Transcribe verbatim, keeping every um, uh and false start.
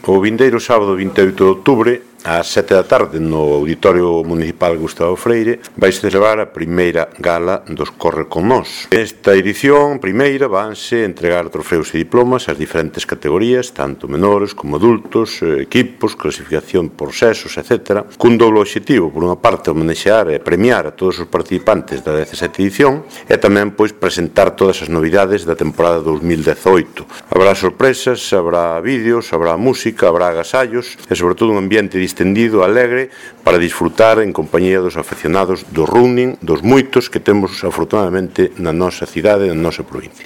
O vindeiro sábado vinte e oito de outubro, ás sete da tarde, no Auditorio Municipal Gustavo Freire, vai celebrar a primeira gala dos Corre con Nós. Esta edición, primeira, vanse entregar trofeos e diplomas ás diferentes categorías, tanto menores como adultos, equipos, clasificación por sexos, etcétera, cun doble obxectivo, por unha parte, homenexear e premiar a todos os participantes da dezasete edición e tamén, pois, presentar todas as novidades da temporada dos mil dezoito. Habrá sorpresas, habrá vídeos, habrá música, habrá agasallos e, sobre todo, un ambiente distendido, alegre, para disfrutar en compañía dos afeccionados do running, dos moitos que temos, afortunadamente, na nosa cidade e na nosa provincia.